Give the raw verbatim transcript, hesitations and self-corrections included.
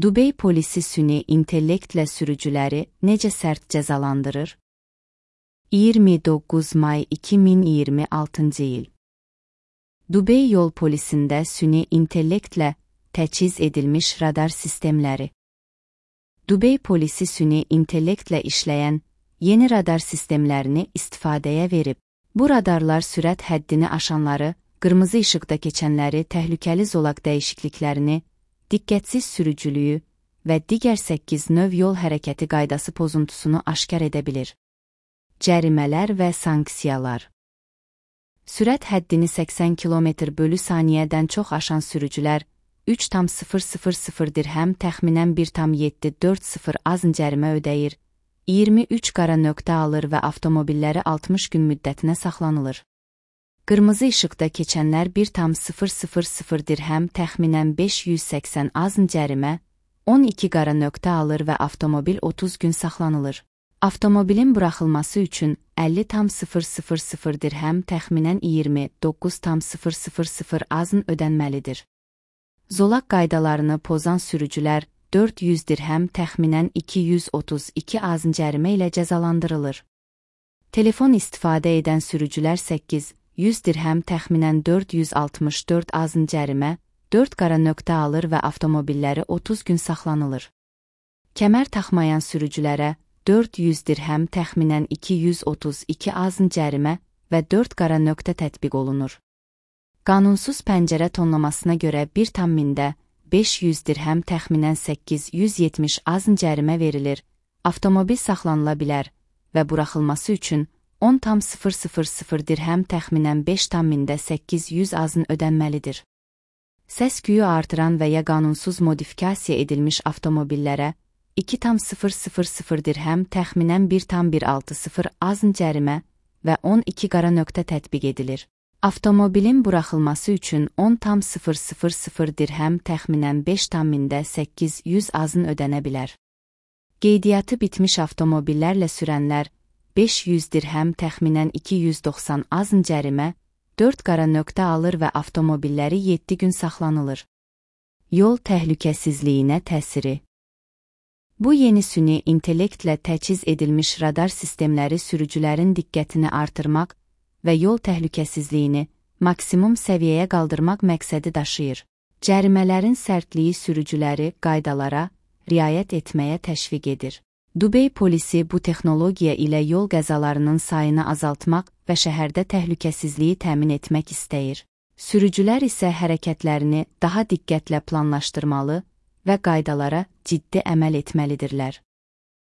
Dubey polisi süni intellektlə sürücüləri necə sərt cəzalandırır? iyirmi doqquz may iki min iyirmi altıncı il. Dubey yol polisində süni intellektlə təchiz edilmiş radar sistemləri. Dubey polisi süni intellektlə işləyən yeni radar sistemlərini istifadəyə verib. Bu radarlar sürət həddini aşanları, qırmızı işıqda keçənləri, təhlükəli zolaq dəyişikliklərini, diqqətsiz sürücülüyü və digər səkkiz növ yol hərəkəti qaydası pozuntusunu aşkar edə bilir. Cərimələr və sanksiyalar. Sürət həddini səksən kilometr bölü saniyədən çox aşan sürücülər üç tam sıfır sıfır sıfır dirhəm təxminən bir tam yeddi dörd sıfır azın cərimə ödəyir, iyirmi üç qara nöqtə alır və avtomobilləri altmış gün müddətinə saxlanılır. Qırmızı işıqda keçənlər bir tam sıfır sıfır sıfır dirhəm təxminən beş yüz səksən azın cərimə, on iki qara nöqtə alır və avtomobil otuz gün saxlanılır. Avtomobilin buraxılması üçün əlli tam sıfır sıfır sıfır dirhəm təxminən iyirmi doqquz tam sıfır sıfır sıfır azın ödənməlidir. Zolaq qaydalarını pozan sürücülər dörd yüz dirhəm təxminən iki yüz otuz iki azın cərimə ilə cəzalandırılır. Telefon istifadə edən sürücülər səkkiz yüz dirhəm təxminən dörd yüz altmış dörd azın cərimə, dörd qara nöqtə alır və avtomobilləri otuz gün saxlanılır. Kəmər taxmayan sürücülərə dörd yüz dirhəm təxminən iki yüz otuz iki azın cərimə və dörd qara nöqtə tətbiq olunur. Qanunsuz pəncərə tonlamasına görə bir tam mində beş yüz dirhəm təxminən səkkiz yüz yetmiş azın cərimə verilir, avtomobil saxlanıla bilər və buraxılması üçün on tam sıfır sıfır sıfır dirhəm təxminən beş tam mində səkkiz yüz azın ödənməlidir. Səs-küyü artıran və ya qanunsuz modifikasiya edilmiş avtomobillərə iki tam sıfır sıfır sıfır dirhəm təxminən bir tam bir altı sıfır azın cərimə və on iki qara nöqtə tətbiq edilir. Avtomobilin buraxılması üçün on tam sıfır sıfır sıfır dirhəm təxminən beş tam mində səkkiz yüz azın ödənə bilər. Qeydiyyatı bitmiş avtomobillərlə sürənlər beş yüz dirhəm təxminən iki yüz doxsan azın cərimə, dörd qara nöqtə alır və avtomobilləri yeddi gün saxlanılır. Yol təhlükəsizliyinə təsiri. Bu yeni süni intellektlə təchiz edilmiş radar sistemləri sürücülərin diqqətini artırmaq və yol təhlükəsizliyini maksimum səviyyəyə qaldırmaq məqsədi daşıyır. Cərimələrin sərtliyi sürücüləri qaydalara riayət etməyə təşviq edir. Dubey polisi bu texnologiya ilə yol qəzalarının sayını azaltmaq və şəhərdə təhlükəsizliyi təmin etmək istəyir. Sürücülər isə hərəkətlərini daha diqqətlə planlaşdırmalı və qaydalara ciddi əməl etməlidirlər.